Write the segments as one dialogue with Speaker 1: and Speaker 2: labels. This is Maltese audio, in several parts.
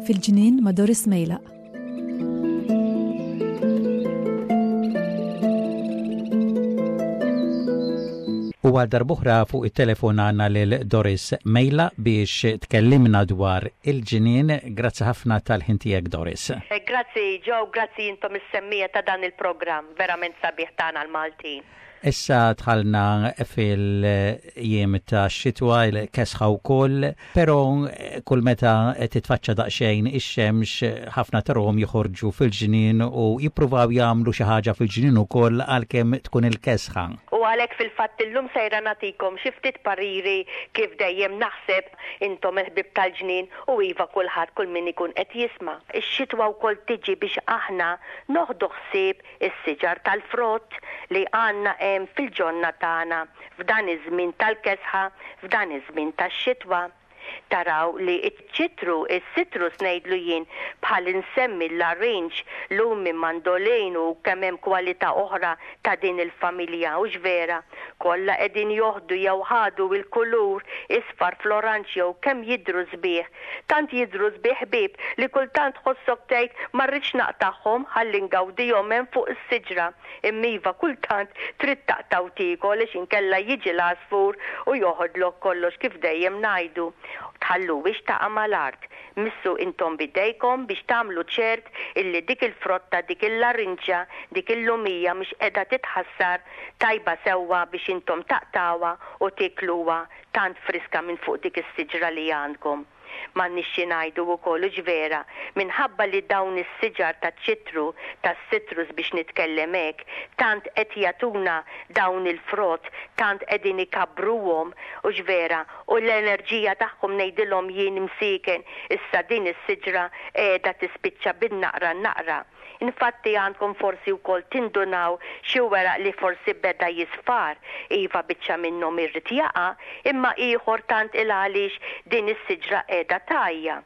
Speaker 1: Fil-ġnien ma' Doris Mejlaq.
Speaker 2: U għal darb'oħra fuq it-telefon għandna lil Doris Mejla biex tkellimna dwar il-ġnien. Grazzi ħafna tal-ħin tiegħek Doris.
Speaker 3: Eh, grazzi Joe, grazzi intom is-semmija ta' dan il-programm verament sabiħ tagħna l-Maltin.
Speaker 2: Issa dħalna fil-jiem ta' xitwa, il-kesħa wkoll, però kull meta titfaċċa daqsxejn ix-xemx ħafna tarahom joħorġu fil-ġnien u jippruvaw jagħmlu xi ħaġa fil-ġnien ukoll għalkemm tkun il-kesħa.
Speaker 3: U għalhekk fil-fatt illum sejra nagħtikom xi ftit pariri kif dejjem naħseb intom il-ħbieb tal-ġnien u iva kulħadd kull min ikun qed jisma'. Ix-xitwa wkoll tiġi biex aħna noħdu ħsieb is-siġar tal-frott li għandna hemm fil-ġonna tagħna f'dan iż-żmien tal-kesħa, f'dan iż-żmien tax-xitwa. Taraw li ċ-ċitru, is-citrus ngħidlu jien, bħal insemmi l-larinġ, lumi, mandolin u kemm hemm kwalità oħra ta' din il-familja, hux vera? Kollha qegħdin joħdu jew ħadu l-kulur isfar fl-oranġ jew kemm jidhru sbieħ. Tant jidhru sbieħ ħbieb li kultant tħossok tgħid ma rridx naqtagħhom ħalli ngawdihom hemm fuq is-siġra. Imma iva kultant trid taqta' u tiekol għax inkella jiġi l-għasfur u joħodlok kollox kif dejjem ngħidu. Tħalluhiex taqa' mal-art. Missu intom b'idejkom biex tagħmlu ċert illi dik il-frotta, dik il-larinġa, dik il-lumija mhix qiegħda titħassar tajba sewwa biex intom taqtgħuha u tiekluha tant friska minn fuq dik is-siġra li għandkom. M'għandniex xi ngħidu wkoll, hux vera, minħabba li dawn is-siġar taċ-ċitru, tas-citrus biex nitkellem hekk, tant qed jagħtuna dawn il-frott, tant qegħdin ikabbruhom, hux vera, u l-enerġija tagħhom ngħidilhom jien msieken, issa din is-siġra qiegħda tispiċċa bin-naqra n-naqra. Infatti għandkom forsi wkoll tindunaw xi weraq li forsi beda jisfar, iva biċċa minnhom irrid jaqa', imma ieħor tant il għaliex din is-siġra qiegħda tgħajja.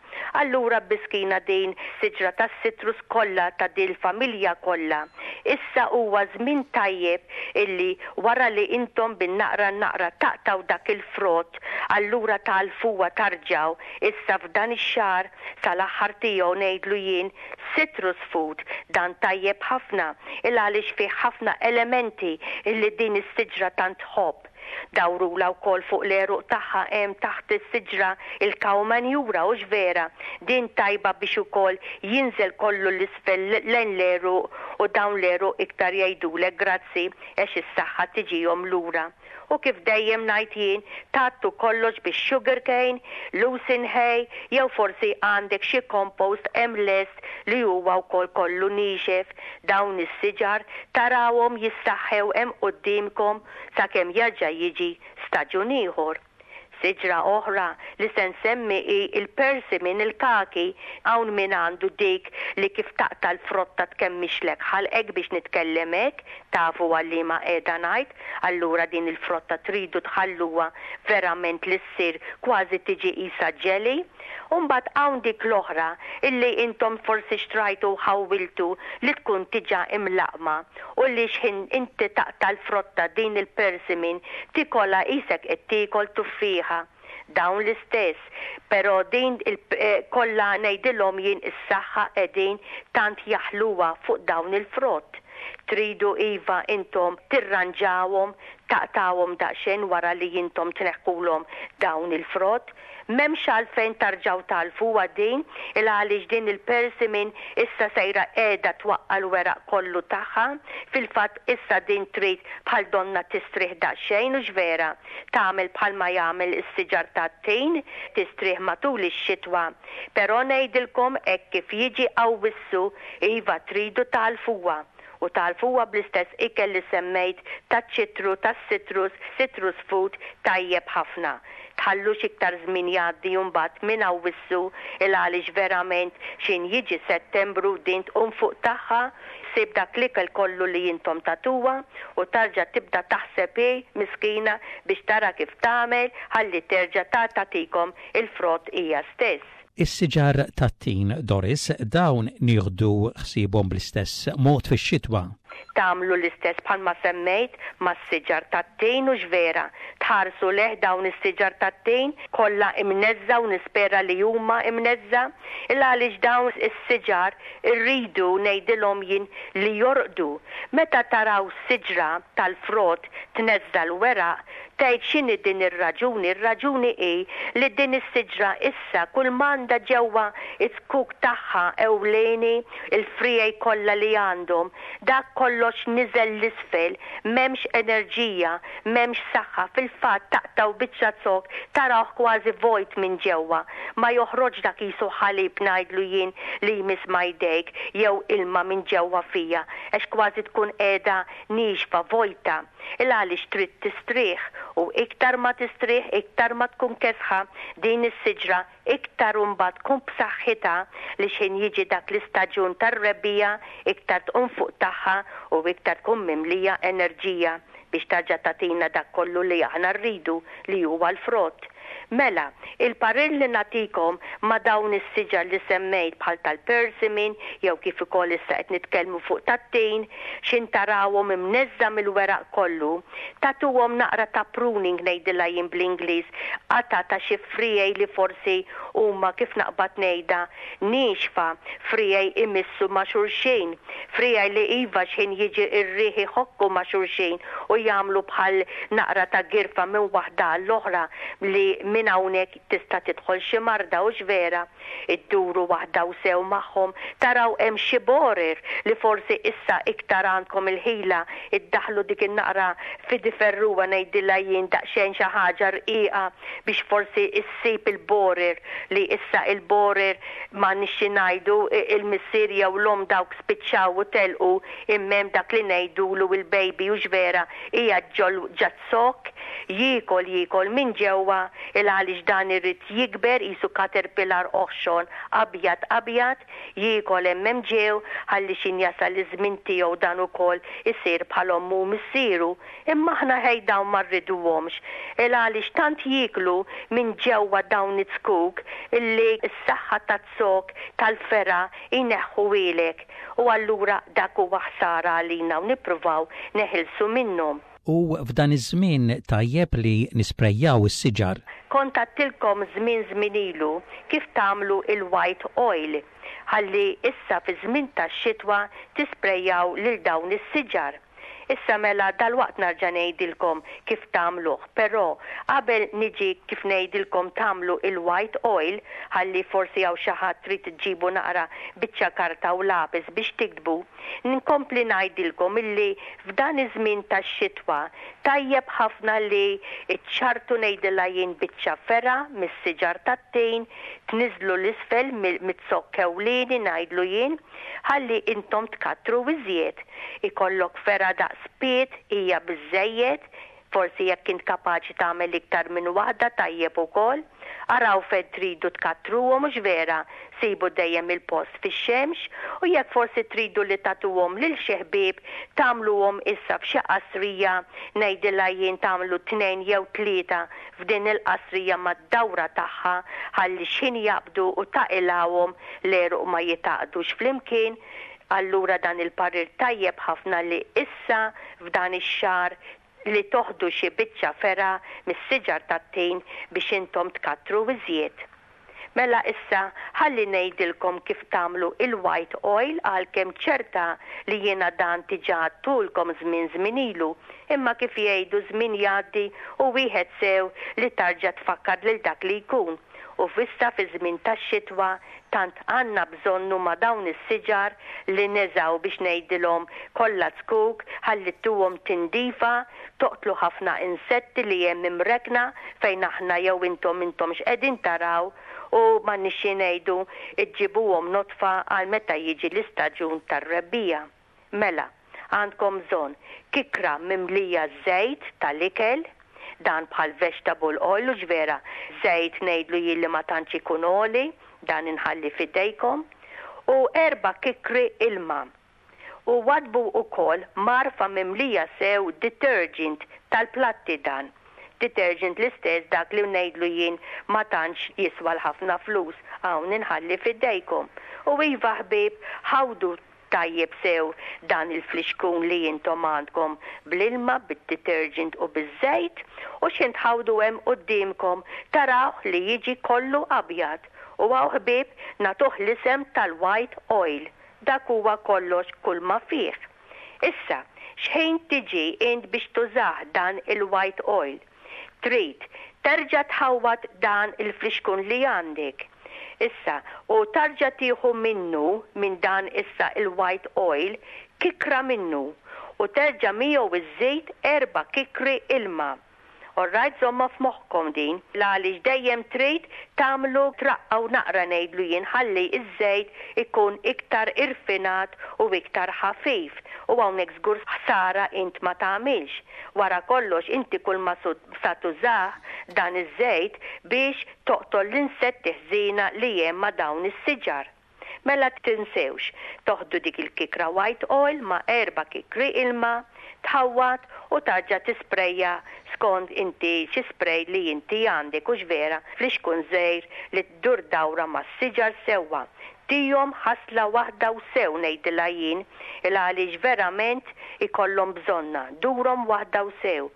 Speaker 3: Allura biskina din siġra tas-citrus kollha ta' dil-familja kollha. Issa huwa żmien tajjeb illi wara li intom bin-naqra n-naqra taqtgħu dak il-frott, allura tagħlfuha tarġgħu issa f'dan ix-xahar sal-aħħar tiegħu ngħidlu jien Citrus food, dan tajjeb ħafna il għaliex fih ħafna elementi illi din is-siġra tant tħobb. Dawrulha wkoll fuq l-għeruq tagħha hemm taħt is-siġra il-cow manure hux vera? Din tajba biex ukoll jinżel kollu 'l isfel lejn l-għeruq u dawn l-għeruq iktar jgħidulek grazzi għex is-saħħa tiġihom lura. U kif dejjem ngħid jien, tgħattu kollox bix-sugar cane, lucerne hay, jew forsi għandek xi compost hemm lest li huwa wkoll kollu niexef. Dawn is-siġar tarawhom jissaħħew hemm quddiemkom sakemm jerġa' jiġi staġun ieħor. Siġra oħra li se nsemmi hi l-persimmon, il-kaki. Hawn min għandu dik li kif taqta' l-frotta tkemmixlek ħalqek biex nitkellem hekk, tafu għal liema qiegħda ngħid, allura din il-frotta tridu tħalluha verament li ssir kważi tiġi qisha jelly. U mbagħad hawn dik l-oħra illi intom forsi xtrajtu u ħawwiltu li tkun diġà imlaqqma u li x'ħin inti taqta' l-frotta din il-persimmon tikolha qisek qed tiekol tuffieħa. Dawn l-istess, però din il kollha ngħidilhom jien is-saħħa qegħdin tant jaħluha fuq dawn il-frott. Tridu iva intom tirranġawhom, taqtgħuhom daqsxejn wara li intom tneħħulhom dawn il-frott. M'hemmx għalfejn tarġgħu tagħlfuha din, il-għaliex din il-persimmon issa sejra qiegħda twaqqa' l-weraq kollu tagħha. Fil-fatt issa din trid bħal donnha tistrieħ daqsxejn, hux vera? Tagħmel bħalma jagħmel is-siġar tat-tin, tistrieħ matul ix-xitwa. Però ngħidilkom hekk kif jiġi Awwissu, iva tridu tagħlfuha. U tagħlfuha bl-istess ikel li semmejt taċ-ċitru, tas-citrus, citrus food, tajjeb ħafna. Tħallux iktar żmien jgħaddi u mbagħad minn Awwissu 'il għaliex verament x'in jiġi Settembru din tqum fuq tagħha, ssib dak l-ikel kollu li intom tagħtuha u tarġa' tibda taħseb hi miskina biex tara kif tagħmel ħalli terġa' ta' tagħtikom il-frott hija stess.
Speaker 2: Is-siġar tat-tin, Doris, dawn nieħdu ħsiebhom bl-istess mod fix-xitwa?
Speaker 3: Tagħmlu l-istess bħalma semmejt mas-siġar tat-tin hux vera? Tħarsu lejh dawn is-siġar tat-tin kollha imneżża' u nispera li huma imneżża' il għaliex dawn is-siġar irridu ngħidilhom jien li jorqdu. Meta taraw siġra tal-frott tneżża' l-weraq Tgħid x'inhi din ir-raġuni? Ir-raġuni hi li din is-siġra issa kull m'għandha ġewwa z-zkuk tagħha ewlieni, il-friegħi kollha li għandhom, dak kollox niżel 'l isfel, m'hemmx enerġija, m'hemmx saħħa, fil-fatt taqtgħu biċċa zokk tarawh kważi vojt minn ġewwa, ma joħroġx dak qisu ħalib ngħidlu jien li jmiss ma' jdejk jew ilma minn ġewwa fija għax kważi tkun qiegħda niexfa, vojta. Il għaliex trid tistrieħ u iktar ma tistrieħ iktar ma tkun kesħa din is-siġra iktar imbagħad tkun b'saħħitha li x'ħin jiġi dak l-istaġun tar-rebbiegħa iktar tqum fuq tagħha u iktar tkun mimlija enerġija biex tarġa' tagħtina dak kollu li aħna rridu li huwa l-frott. Mela, il-parir li nagħtikom ma' dawn is-siġar li semmejt bħal tal-persimmon jew kif ukoll issa qed nitkellmu fuq tat-tin, x'in tarawhom imneżża' mill-weraq kollu, tagħtuhom naqra ta' pruning ngħidilha jien bl-Ingliż, qatgħa ta' xi friegħi li forsi huma kif naqbad ngħidha, niexfa, friegħi imissu ma' xulxin, friegħi li iva x'ħin jiġi r-riħ iħokku ma' xulxin u jagħmlu bħal naqra ta' girfa minn waħda għall-oħra li minn hawnhekk tista' tidħol xi marda hux vera? Idduru waħda u sew magħhom taraw hemm xi borer li forsi issa iktar għandkom il-ħila iddaħħlu dik in-naqra fidiferruwa ngħidilha jien daqsxejn xi ħaġa rqiqa biex forsi ssib il-borer li issa il-borer m'għandniex xi ngħidu il-missier jew l-omm dawk spiċċaw u telqu imma hemm dak li ngħidulu il-baby hux vera qiegħed ġol ġaz-zokk jiekol jiekol minn ġewwa il għaliex dan irid jikber qisu caterpillar oħxon abjad abjad jiekol hemm hemm ġew ħalli x'in jasal iż-żmien tiegħu dan ukoll isir bħal ommu u missieru Imma aħna ħej dawn ma rriduhomx, il għaliex tant jieklu minn ġewwa dawn iz-zkuk illi s-saħħa taz-zokk tal-fergħa jneħħuhielek u allura dak huwa ħsara għalina u nippruvaw neħilsu minnhom.
Speaker 2: U f'dan iż-żmien tajjeb li nisprejjaw is-siġar.
Speaker 3: Kont għadtilkom żmien żmien ilu kif tagħmlu il-white oil ħalli issa fiż-żmien tax-xitwa tisprejjaw lil dawn is-siġar. Issa mela dalwaqt narġa' ngħidilkom kif tagħmluh, però qabel niġi kif ngħidilkom tagħmlu il-white oil, ħalli forsi hawn xi ħadd trid ġġibu naqra biċċa karta u lapis biex tiktbu, nkompli ngħidilkom illi f'dan iż-żmien tax-xitwa tajjeb ħafna li ċċarrtu ngħidilha jien biċċa fergħa mis-siġar tat-tin, tniżżlu 'l isfel miz-zokk ewlieni ngħidlu jien, Ħalli intom tkattru iżjed. Ikollok fergħa daqs pied hija biżżejjed, forsi jekk int kapaċi tagħmel iktar minn waħda tajjeb ukoll. Araw fejn tridu tkattruhom hux vera, sibu dejjem il-post fix-xemx u jekk forsi tridu li tagħtuhom lil xi ħbieb tagħmluhom issa f'xi qasrija, ngħidilha jien tagħmlu tnejn jew tlieta f'din il-qasrija mad-dawra tagħha ħalli x'ħin jaqbdu u taqilgħuhom l-għeruq ma jitgħaqqdux flimkien, allura dan il-parir tajjeb ħafna li issa f'dan ix-xahar li toħdu xi biċċa fergħa mis-siġar tat-tin biex intom tkattru iżjed. Mela issa ħalli ngħidilkom kif tagħmlu il-white oil għalkemm ċerta li jiena dan diġà għadtulkom żmien żmien ilu, imma kif jgħidu żmien jgħaddi u wieħed sew li tarġa' tfakkar lil dak li jkun. U f'issa fiż-żmien tax-xitwa tant għandna bżonn huma dawn is-siġar li neżgħu biex ngħidilhom kollha zkuk ħalli ttuhom tindifa, toqtlu ħafna insetti li hemm imrekkna fejn aħna jew intom m'intomx qegħdin taraw u m'għandniex xi ngħidu ġġibuhom nodfa għal meta jiġi l-istaġun tar-rebbiegħa. Mela, għandkom bżonn kikra mimlija żejt tal-ikel, dan bħal vegetable oil hux vera, żejt ngħidlu jien li ma tantx ikun għoli, dan inħalli f'idejkom, u erba' kikri ilma. U waddbu wkoll mgħarfa mimlija sew detergent tal-platti dan. Detergent l-istess dak li ngħidlu jien ma tantx jiswa l-ħafna flus, hawn inħalli f'idejkom. U iva ħbieb, ħawdu tajjeb sew dan il-flixkun li intom għandkom bl-ilma, bid-detergent u biż-żejt u x'ħin tħawdu hemm quddiemkom tarawh li jiġi kollu abjad. U hawn ħbieb nagħtuh l-isem tal-white oil. Dak huwa kollox kulma fih. Issa, x'ħin tiġi int biex tużah dan il-white oil, trid terġa' tħawwad dan il-flixkun li għandek. Issa, u tarġa' tieħu minnu, minn dan issa il-white oil, kikra minnu, u terġa' miegħu żżid erba' kikri ilma. Alright żommha f'moħħkom din l-għaliex dejjem trid tagħmlu traqqgħu naqra ngħidlu jien ħalli ż-żejt ikun iktar irfinat u iktar ħafif u hawnhekk żgur ħsara int ma tagħmilx. Wara kollox inti kull ma sa tużah dan iż-żejt biex toqtol l-insetti ħżiena li hemm ma' dawn is-siġar. Mela tinsewx toħdu dik il-kikra white oil ma' erba' kikri ilma, tħawwad u tarġa' tisprejja skond inti xi spray li inti għandek hux vera flixkun żgħir li ddur dawra mas-siġar sewwa. Tihom ħasla waħda u sew ngħidilha jien il għaliex verament ikollhom bżonnha, durhom waħda u sew.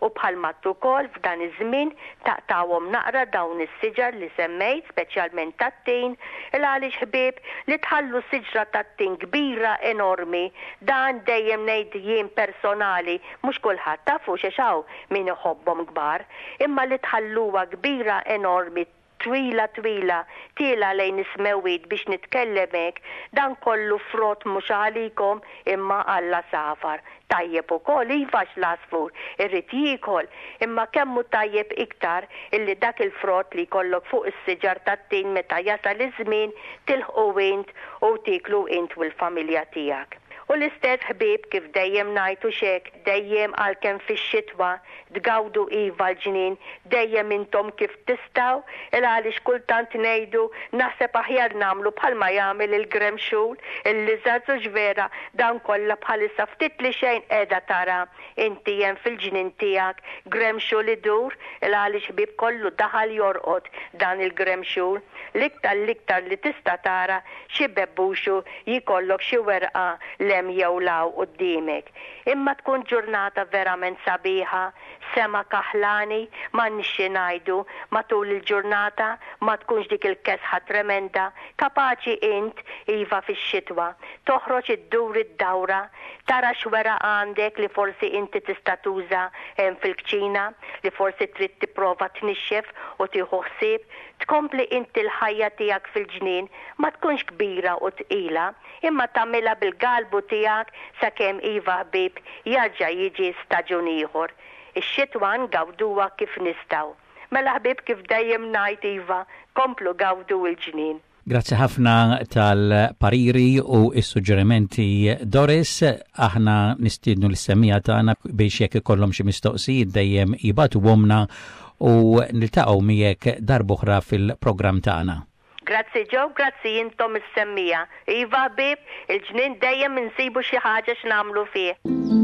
Speaker 3: U bħal m'għedt ukoll f'dan iż-żmien taqtgħuhom naqra dawn is-siġar li semmejt, speċjalment tat-tin, il għaliex ħbieb li tħallu siġra tat-tin kbira enormi, dan dejjem ngħid jien personali, mhux kulħadd tafux għax hawn min iħobbhom kbar, imma li tħalluha kbira enormi twila twila tielgħa lejn is-smewwiet biex nitkellem hekk, dan kollu frott mhux għalikom imma għall-għasafar. Tajjeb ukoll, iva għax l-għasfur irid jiekol, imma kemm hu tajjeb iktar illi dak il-frott li jkollok fuq is-siġar tat-tin meta jasal iż-żmien tilħqu int u tieklu int u l-familja tiegħek. U l-istess ħbieb kif dejjem ngħid hux hekk, dejjem għalkemm fix-xitwa Tgawdu iva l-ġnien dejjem intom kif tistgħu, il għaliex kultant ngħidu naħseb aħjar nagħmlu bħalma jagħmel il-gremxul, il-lizards hux vera dawn kollha bħalissa ftit li xejn qiegħda tara inti hemm fil-ġnien tiegħek gremxul idur il għaliex ħbieb kollu daħal jorqod dan il-gremxul l-iktar l-iktar li tista' tara xi bebbuxu jkollok xi werqa 'l hemm jew 'l hawn quddiemek. Imma tkun ġurnata verament sabiħa, sema kaħlani, m'għandniex xi ngħidu, matul il-ġurnata ma tkunx dik il-kesħa tremenda, kapaċi int, iva fix-xitwa, toħroġ iddur id-dawra, tara x'weraq għandek li forsi inti tista' tuża hemm fil-kċina, li forsi trid tipprova tnixxef u tieħu ħsieb, tkompli inti l-ħajja tiegħek fil-ġnien, ma tkunx kbira u tqila, Imma tagħmilha bil-galbu tiegħek sakemm iva ħbieb jarġa' jiġi staġun ieħor. Ix-xitwa ngawduha kif nistgħu. Mela ħbieb kif dejjem ngħid iva komplu gawdu l-ġnien.
Speaker 2: Grazzi ħafna tal-pariri u s-suġġerimenti Doris. Aħna nistiednu lis-semmiegħa tagħna biex jekk ikollhom xi mistoqsijiet dejjem jibagħtuhomlna u niltaqgħu miegħek darb'oħra fil-programm tagħna.
Speaker 3: Grazzi Joe, grazzi intom is-semmiegħa. Iva ħbieb, il-ġnien dejjem insibu xi ħaġa x'nagħmlu fih.